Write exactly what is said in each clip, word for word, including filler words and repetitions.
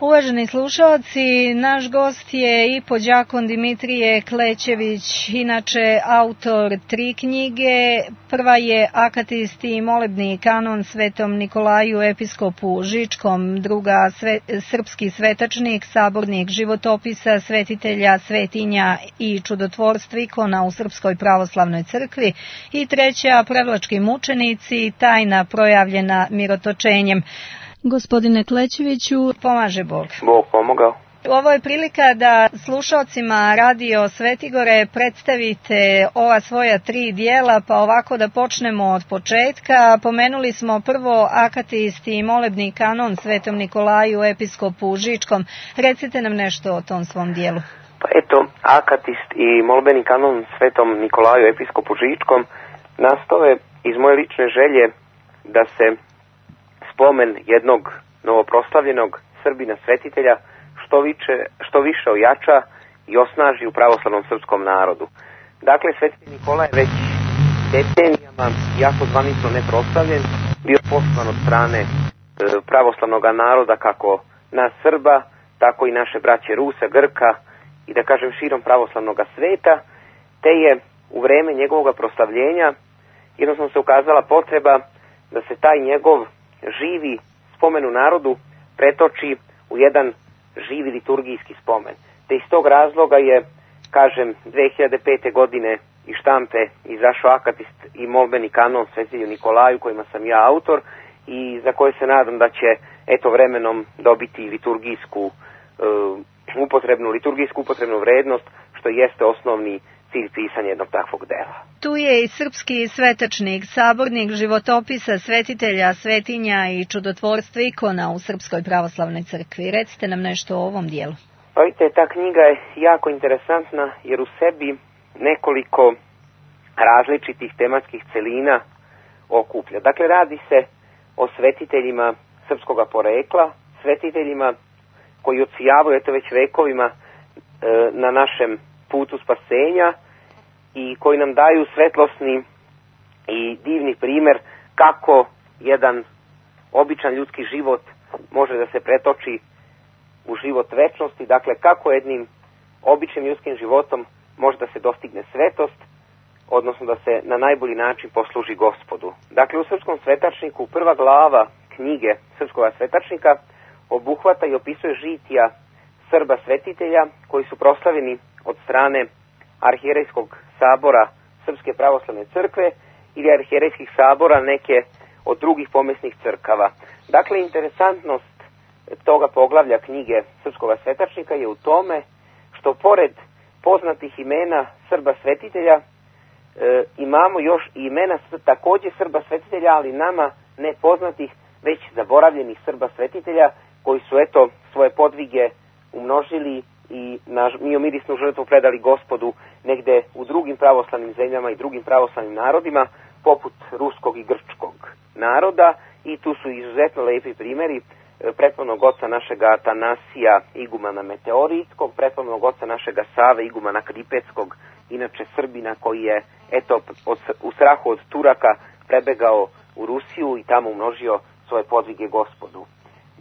Uvaženi slušalci, naš gost je i podjakon Dimitrije Klećević, inače autor tri knjige. Prva je Akatist i molebni kanon Svetom Nikolaju episkopu Žičkom, druga sve, Srpski svetačnik, sabornik životopisa svetitelja, svetinja i čudotvorstva ikona u Srpskoj pravoslavnoj crkvi i treća Prevlački mučenici, tajna projavljena mirotočenjem. Gospodine Klećeviću, pomaže Bog. Bog pomogao. Ovo je prilika da slušalcima Radio Svetigore predstavite ova svoja tri dijela, pa ovako da počnemo od početka. Pomenuli smo prvo Akatist i molebni kanon Svetom Nikolaju episkopu Žičkom. Recite nam nešto o tom svom dijelu. Pa eto, Akatist i molbeni kanon Svetom Nikolaju episkopu Žičkom nastao je iz moje lične želje da se spomen jednog novoproslavljenog Srbina svetitelja što više, što više ojača i osnaži u pravoslavnom srpskom narodu. Dakle, svetitelj Nikola je već decenijama, jako zvanično neproslavljen, bio poštovan od strane e, pravoslavnog naroda, kako nas Srba, tako i naše braće Rusa, Grka i da kažem širom pravoslavnog sveta, te je u vreme njegovog proslavljenja jednostavno se ukazala potreba da se taj njegov živi spomen u narodu pretoči u jedan živi liturgijski spomen. Te iz tog razloga je, kažem, dve hiljade pete. godine iz štampe izašao Akatist i molbeni kanon Svetitelju Nikolaju, kojima sam ja autor i za koje se nadam da će eto vremenom dobiti liturgijsku uh, upotrebnu, liturgijsku upotrebnu vrednost, što jeste osnovni cilj pisanja jednog takvog dela. Tu je i srpski svetačnik, sabornik životopisa svetitelja, svetinja i čudotvorstva ikona u Srpskoj pravoslavnoj crkvi. Recite nam nešto o ovom dijelu. Pa vidite, ta knjiga je jako interesantna jer u sebi nekoliko različitih tematskih celina okuplja. Dakle, radi se o svetiteljima srpskoga porekla, svetiteljima koji odsijavaju eto već vekovima e, na našem putu spasenja i koji nam daju svetlosni i divni primjer kako jedan običan ljudski život može da se pretoči u život večnosti, dakle kako jednim običnim ljudskim životom može da se dostigne svetost, odnosno da se na najbolji način posluži Gospodu. Dakle, u Srpskom svetačniku prva glava knjige Srpskog svetačnika obuhvata i opisuje žitija Srba svetitelja koji su proslavljeni od strane arhijerejskog sabora Srpske pravoslavne crkve ili arhijerejskih sabora neke od drugih pomesnih crkava. Dakle, interesantnost toga poglavlja knjige Srpskog svetačnika je u tome što pored poznatih imena Srba svetitelja e, imamo još i imena također Srba svetitelja, ali nama nepoznatih, već zaboravljenih Srba svetitelja koji su eto svoje podvige umnožili i na miomirisnu žrtvu predali Gospodu negde u drugim pravoslavnim zemljama i drugim pravoslavnim narodima, poput ruskog i grčkog naroda, i tu su izuzetno lepi primjeri prethodnog oca našega Atanasija, igumana Meteoritskog, prethodnog oca našega Save, igumana Kripetskog, inače Srbina koji je eto od, u strahu od Turaka prebegao u Rusiju i tamo umnožio svoje podvige Gospodu.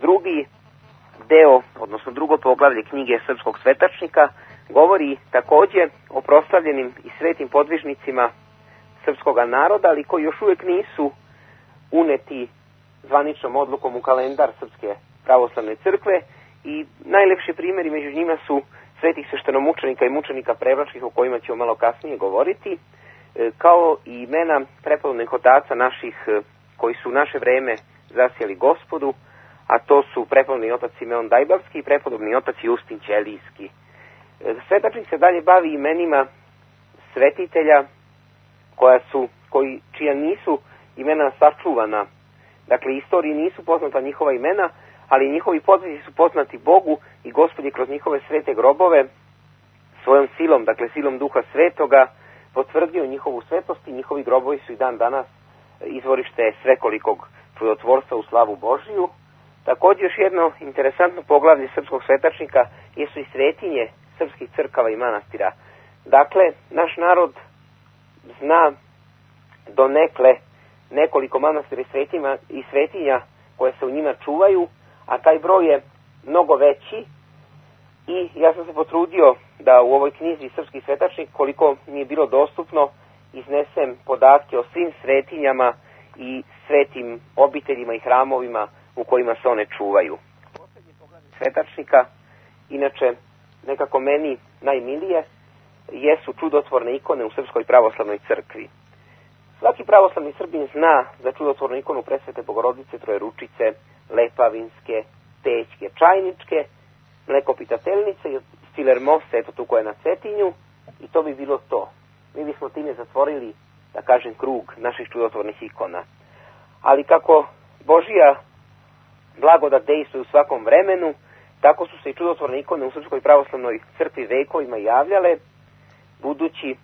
Drugi deo, odnosno drugo poglavlje knjige Srpskog svetačnika, govori također o proslavljenim i svetim podvižnicima srpskog naroda, ali koji još uvijek nisu uneti zvaničnom odlukom u kalendar Srpske pravoslavne crkve, i najlepši primjeri među njima su svetih sveštenomučenika i mučenika prevlačkih, o kojima ćemo malo kasnije govoriti, kao i imena prepodobnih otaca naših koji su u naše vreme zasjeli Gospodu, a to su prepodobni otac Simeon Dajbavski i prepodobni otac Justin Ćelijski. Svetačnik se dalje bavi imenima svetitelja koja su, koji, čija nisu imena sačuvana. Dakle, istoriji nisu poznata njihova imena, ali njihovi podvizi su poznati Bogu i Gospod je kroz njihove svete grobove svojom silom, dakle silom Duha Svetoga, potvrdio njihovu svetost i njihovi grobovi su i dan danas izvorište svekolikog čudotvorstva u slavu Božiju. Također još jedno interesantno poglavlje Srpskog svetačnika jesu i svetinje srpskih crkava i manastira. Dakle, naš narod zna donekle nekoliko manastira i svetinja koje se u njima čuvaju, a taj broj je mnogo veći i ja sam se potrudio da u ovoj knjizi Srpski svetačnik, koliko mi je bilo dostupno, iznesem podatke o svim svetinjama i svetim obiteljima i hramovima u kojima se one čuvaju. Poslednje poglavlje svetačnika, inače nekako meni najmilije, jesu čudotvorne ikone u Srpskoj pravoslavnoj crkvi. Svaki pravoslavni Srbin zna za čudotvornu ikonu Presvete Bogorodice Trojeručice, Lepavinske, Pećke, Čajničke, Mlekopitateljnice i Filermose, eto tu koja je na Cetinju, i to bi bilo to. Mi bismo time zatvorili, da kažem, krug naših čudotvornih ikona. Ali kako Božija blagodat dejstvuje u svakom vremenu, tako su se i čudotvorne ikone u Srpskoj pravoslavnoj crkvi vekovima javljale, budući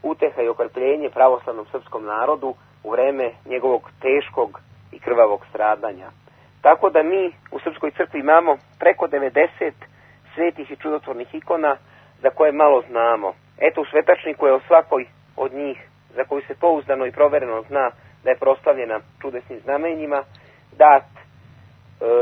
uteha i okrpljenje pravoslavnom srpskom narodu u vreme njegovog teškog i krvavog stradanja. Tako da mi u Srpskoj crkvi imamo preko devedeset svetih i čudotvornih ikona za koje malo znamo. Eto, u svetačniku je o svakoj od njih, za koju se pouzdano i provereno zna da je proslavljena čudesnim znamenjima, dat e,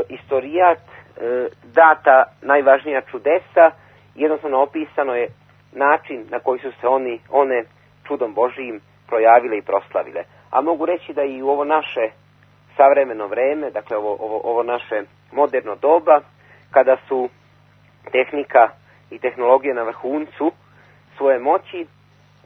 istorijat, e, data najvažnija čudesa, jednostavno opisano je način na koji su se oni, one čudom Božijim projavile i proslavile. A mogu reći da i u ovo naše savremeno vreme, dakle ovo, ovo, ovo naše moderno doba, kada su tehnika i tehnologije na vrhuncu svoje moći,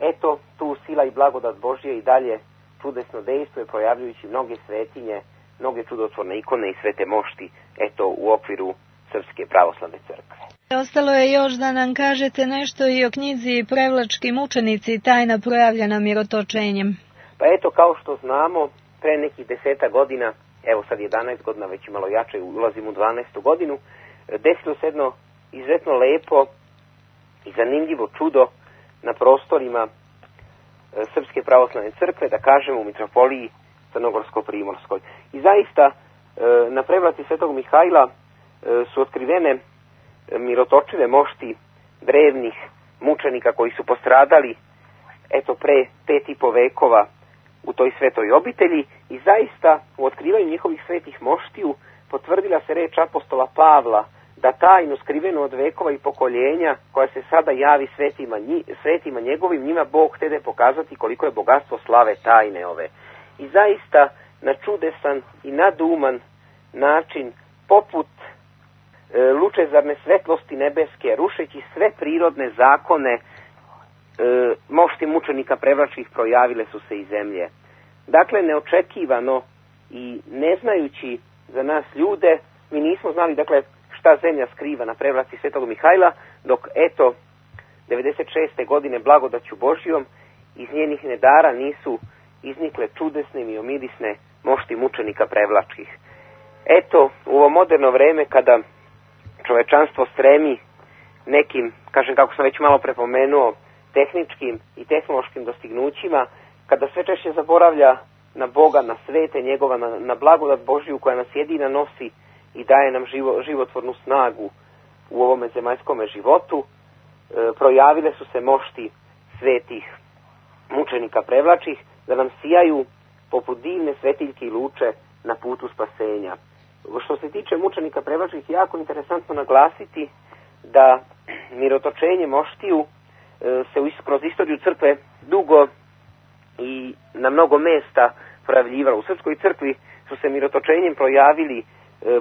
eto tu sila i blagodat Božje i dalje čudesno dejstvuje, projavljujući mnoge svetinje, mnoge čudotvorne ikone i svete mošti, eto u okviru Srpske pravoslavne crkve. Ostalo je još da nam kažete nešto i o knjizi Prevlački mučenici, tajna projavljena mirotočenjem. Pa eto, kao što znamo, pre nekih deseta godina, evo sad jedanaest godina, već malo jače, ulazim u dvanaestu godinu, desilo se jedno izuzetno lepo i zanimljivo čudo na prostorima Srpske pravoslavne crkve, da kažemo u mitropoliji Crnogorsko-Primorskoj. I zaista na prevlaci Svetog Mihajla su otkrivene mirotočive mošti drevnih mučenika koji su postradali eto pre pet i po vekova u toj svetoj obitelji, i zaista u otkrivanju njihovih svetih moštiju potvrdila se reč apostola Pavla da tajnu skrivenu od vekova i pokoljenja koja se sada javi svetima, svetima njegovim, njima Bog htede pokazati koliko je bogatstvo slave tajne ove. I zaista na čudesan i naduman način, poput e, lučezarne svetlosti nebeske, rušeći sve prirodne zakone, e, mošti mučenika prevlačkih projavile su se iz zemlje. Dakle, neočekivano i ne znajući za nas ljude, mi nismo znali, dakle, šta zemlja skriva na prevlaci Svetog Mihajla, dok eto devedeset šeste godine blagodaću Božjom iz njenih nedara nisu iznikle čudesne i omirisne mošti mučenika prevlačkih. Eto, u ovo moderno vreme kada čovečanstvo stremi nekim, kažem kako sam već malo prepomenuo, tehničkim i tehnološkim dostignućima, kada sve češće zaboravlja na Boga, na svete njegova, na, na blagodat Božju koja nas jedina nosi i daje nam živo, životvornu snagu u ovome zemaljskome životu, e, projavile su se mošti svetih mučenika prevlačih da nam sijaju poput divne svetiljke i luče na putu spasenja. Što se tiče mučenika prevlačih, jako interesantno naglasiti da mirotočenje moštiju e, se kroz istoriju crkve dugo i na mnogo mesta projavljivalo. U Srpskoj crkvi su se mirotočenjem projavili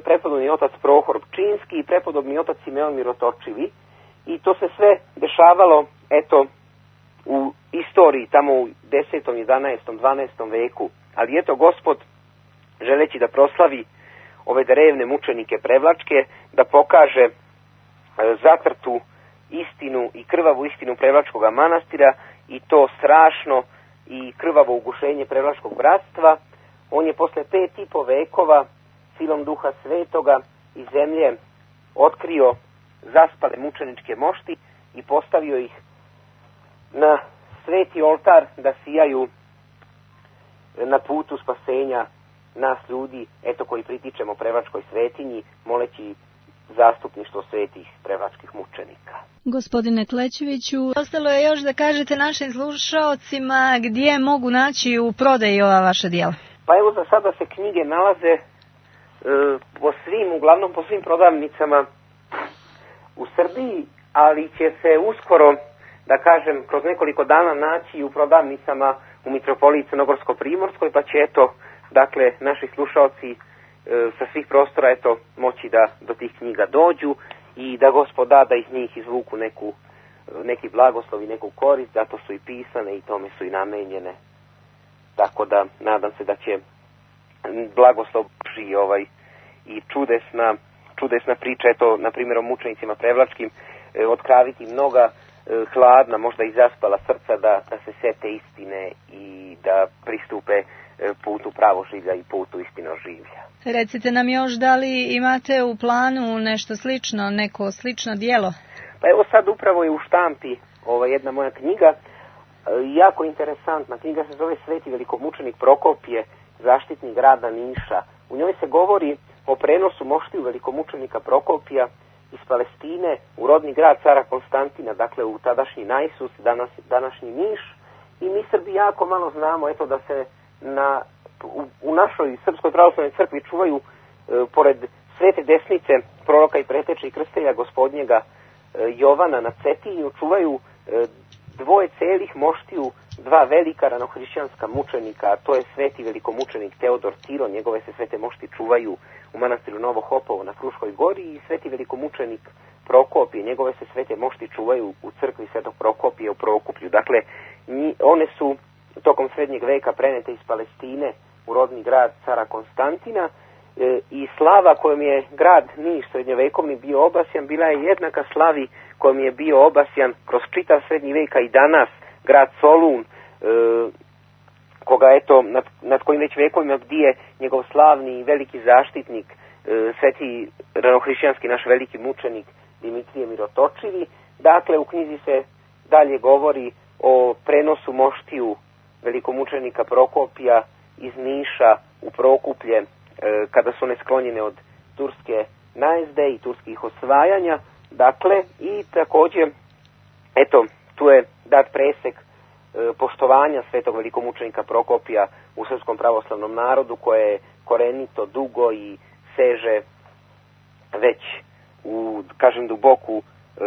prepodobni otac Prohor Pčinski i prepodobni otac Simeon Mirotočivi, i to se sve dešavalo eto u istoriji tamo u desetom, jedanaestom, dvanaestom veku. Ali eto Gospod, želeći da proslavi ove drevne mučenike prevlačke, da pokaže zatrtu istinu i krvavu istinu Prevlačkog manastira i to strašno i krvavo ugušenje Prevlačkog bratstva, on je posle pet i po vekova silom Duha Svetoga iz zemlje otkrio zaspale mučeničke mošti i postavio ih na sveti oltar da sijaju na putu spasenja nas ljudi, eto koji pritičemo Prevlačkoj svetinji, moleći zastupništvo svetih prevlačkih mučenika. Gospodine Klećeviću, ostalo je još da kažete našim slušaocima gdje mogu naći u prodaji ova vaša djela. Pa evo, za sada se knjige nalaze po svim, uglavnom po svim prodavnicama u Srbiji, ali će se uskoro, da kažem, kroz nekoliko dana naći u prodavnicama u Mitropoliji Crnogorsko-Primorskoj, pa će eto, dakle, naši slušalci e, sa svih prostora eto moći da do tih knjiga dođu i da Gospod da da iz njih izvuku neku, neki blagoslov i neku korist, zato su i pisane i tome su i namenjene. Tako da nadam se da će blagoslov Božji ovaj i čudesna, čudesna priča, eto, na primjer o mučenicima prevlačkim, e, otkraviti mnoga e, hladna, možda i zaspala srca da, da se sete istine i da pristupe e, putu pravoživlja i putu istinoživlja. Recite nam još da li imate u planu nešto slično, neko slično dijelo? Pa evo sad upravo je u štampi ova jedna moja knjiga, e, jako interesantna. Knjiga se zove Sveti velikomučenik Prokopije, zaštitnik grada Niša. U njoj se govori o prenosu moštiju velikomučenika Prokopija iz Palestine u rodni grad cara Konstantina, dakle u tadašnji Najsus, danas, današnji Niš. I mi Srbi jako malo znamo, eto, da se na, u, u našoj Srpskoj pravoslavnoj crkvi čuvaju, e, pored Svete Desnice, proroka i preteče i krstitelja Gospodnjega e, Jovana na Cetinju, čuvaju e, dvoje celih moštiju, dva velika ranohrišćanska mučenika, a to je sveti velikomučenik Teodor Ciro, njegove se svete mošti čuvaju u manastiru Novo Hopovo na Fruškoj gori, i sveti velikomučenik Prokopije, njegove se svete mošti čuvaju u crkvi Svetog Prokopije u Prokuplju. Dakle, nji, one su tokom srednjeg veka prenete iz Palestine u rodni grad cara Konstantina, e, i slava kojom je grad Niš srednjovekovni bio obasjan bila je jednaka slavi kojom je bio obasjan kroz čitav srednji veka i danas grad Solun, e, koga eto, nad, nad kojim već vekovima bdije njegov slavni i veliki zaštitnik, e, sveti ranohrišćanski naš veliki mučenik Dimitrije Mirotočivi. Dakle, u knjizi se dalje govori o prenosu moštiju velikomučenika Prokopija iz Niša u Prokuplje, e, kada su one sklonjene od turske najezde i turskih osvajanja. Dakle, i također, eto, tu je dat presek e, poštovanja svetog velikomučenika Prokopija u srpskom pravoslavnom narodu, koje je korenito, dugo i seže već u, kažem, duboku e,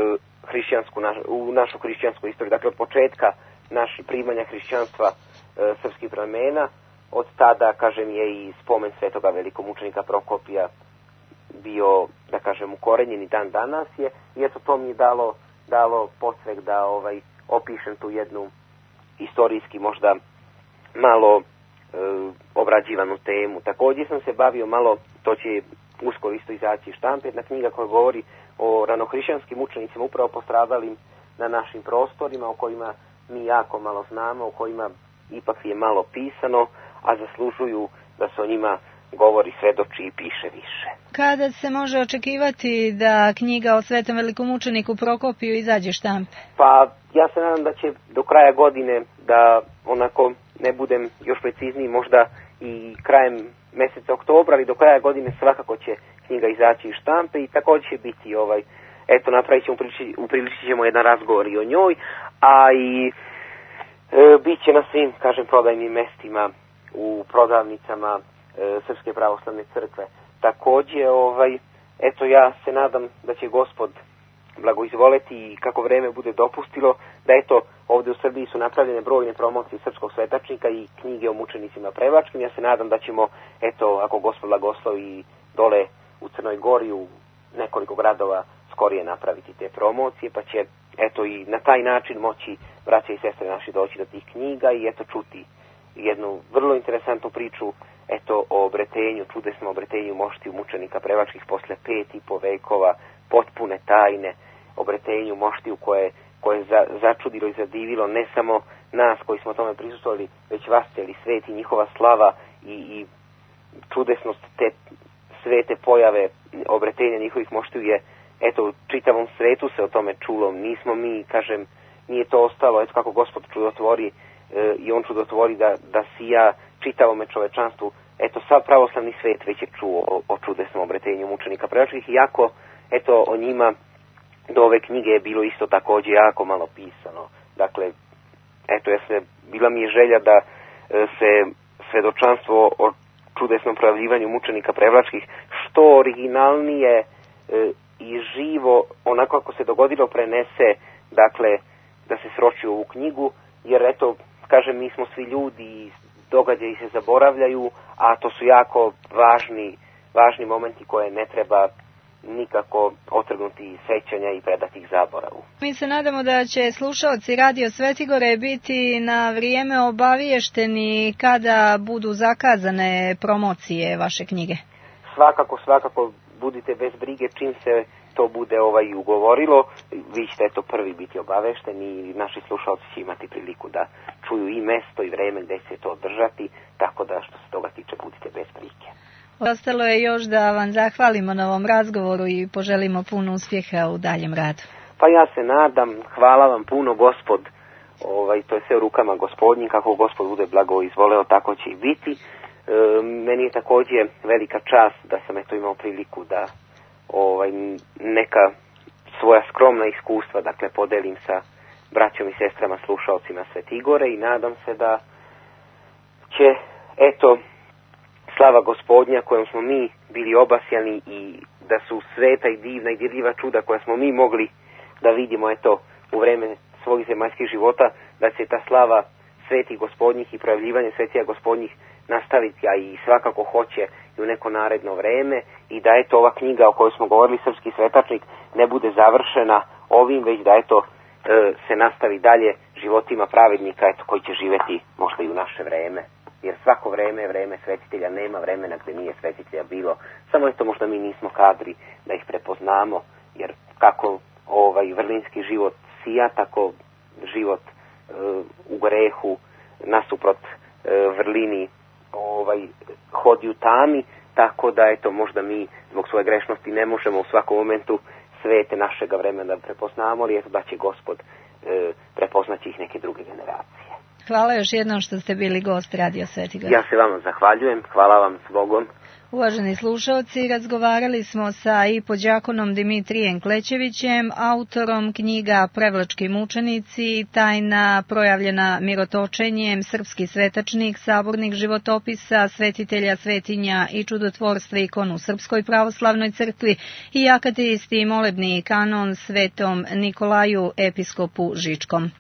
hrišćansku, naš, u našu hrišćansku istoriju. Dakle, od početka naših primanja hrišćanstva e, srpskih plemena, od tada, kažem, je i spomen svetoga velikomučenika Prokopija bio, da kažem, ukorenjen i dan danas je, i eto, to mi je dalo, dalo podsvek da ovaj, opišem tu jednu istorijski možda malo e, obrađivanu temu. Također sam se bavio malo, to će uskoro isto izaći štampe, jedna knjiga koja govori o ranohrišćanskim mučenicima upravo postradalim na našim prostorima, o kojima mi jako malo znamo, o kojima ipak je malo pisano, a zaslužuju da se o njima govori, svedoči i piše više. Kada se može očekivati da knjiga o svetom velikomučeniku Prokopiju izađe štampe? Pa ja se nadam da će do kraja godine, da onako ne budem još precizniji, možda i krajem mjeseca oktobra, ali do kraja godine svakako će knjiga izaći iz štampe i također će biti ovaj, eto, napravit ćemo, upriličit ćemo jedan razgovor i o njoj, a i e, bit će na svim, kažem, prodajnim mestima, u prodavnicama e, Srpske pravoslavne crkve. Također, ovaj, eto, ja se nadam da će Gospod blagoizvoleti i kako vreme bude dopustilo, da eto, ovdje u Srbiji su napravljene brojne promocije srpskog svetačnika i knjige o mučenicima prevlačkim. Ja se nadam da ćemo, eto, ako Gospod blagoslovi, dole u Crnoj Gori, u nekoliko gradova skorije napraviti te promocije, pa će, eto, i na taj način moći braća i sestre naši doći do tih knjiga i eto čuti jednu vrlo interesantnu priču, eto, o obretenju, čudesnom obretenju moštiju mučenika prevlačkih posle pet i po vekova, potpune tajne, obretenju moštiju koje, koje je za, začudilo i zadivilo ne samo nas koji smo tome prisustvovali, već vas cijeli svet i njihova slava i, i čudesnost te svete pojave obretenja njihovih moštiju je, eto, u čitavom svetu se o tome čulo. Nismo mi, kažem, nije to ostalo, eto kako Gospod čudotvori, e, i on čudotvori da, da sija čitavome čovečanstvu. Eto, sav pravoslavni svet već je čuo o, o čudesnom obretenju mučenika prevlačkih, iako, eto, o njima do ove knjige je bilo isto također jako malo pisano. Dakle, eto, ja se, bila mi je želja da e, se svedočanstvo o čudesnom projavljivanju mučenika prevlačkih to originalnije e, i živo, onako kako se dogodilo, prenese, dakle, da se sroči u ovu knjigu, jer eto, kažem, mi smo svi ljudi i događaji se zaboravljaju, a to su jako važni, važni momenti koje ne treba nikako otrgnuti iz sećanja i predati ih zaboravu. Mi se nadamo da će slušaoci Radio Svetigore biti na vrijeme obaviješteni kada budu zakazane promocije vaše knjige. Svakako, svakako, budite bez brige čim se to bude ovaj ugovorilo, vi ćete to prvi biti obavešteni i naši slušalci će imati priliku da čuju i mesto i vreme gdje će to održati, tako da što se toga tiče budite bez brige. Ostalo je još da vam zahvalimo na ovom razgovoru i poželimo puno uspjeha u daljem radu. Pa ja se nadam, hvala vam puno, Gospod, ovaj, to je sve u rukama Gospodnjim, kako Gospod bude blago izvoleo, tako će i biti. E, meni je također velika čast da sam eto imao priliku da ovaj, neka svoja skromna iskustva, dakle, podelim sa braćom i sestrama slušalcima Svetigore i nadam se da će, eto, slava Gospodnja kojom smo mi bili obasjani i da su sveta i divna i dirljiva čuda koja smo mi mogli da vidimo, eto, u vreme svojih zemaljskih života, da će ta slava svetih Gospodnjih i projavljivanje svetija Gospodnjih nastaviti, a i svakako hoće i u neko naredno vreme, i da eto ova knjiga o kojoj smo govorili, Srpski svetačnik, ne bude završena ovim, već da eto se nastavi dalje životima pravednika, eto, koji će živjeti možda i u naše vreme. Jer svako vreme je vreme svetitelja, nema vremena gdje nije svetitelja bilo, samo eto možda mi nismo kadri da ih prepoznamo, jer kako ovaj vrlinski život sija, tako život e, u grehu nasuprot e, vrlini ovaj hodi u tami, tako da eto možda mi zbog svoje grešnosti ne možemo u svakom momentu svete našega vremena da prepoznamo, ali eto da će Gospod e, prepoznaći ih neke druge generacije. Hvala još jednom što ste bili gost Radio Svetigora. Ja se vama zahvaljujem, hvala vam s Bogom. Uvaženi slušalci, razgovarali smo sa ipodjakonom Dimitrijem Klećevićem, autorom knjiga Prevlački mučenici, tajna projavljena mirotočenjem, Srpski svetačnik, sabornik životopisa, svetitelja, svetinja i čudotvorstva ikonu Srpskoj pravoslavnoj crkvi i akatisti molebni kanon svetom Nikolaju episkopu Žičkom.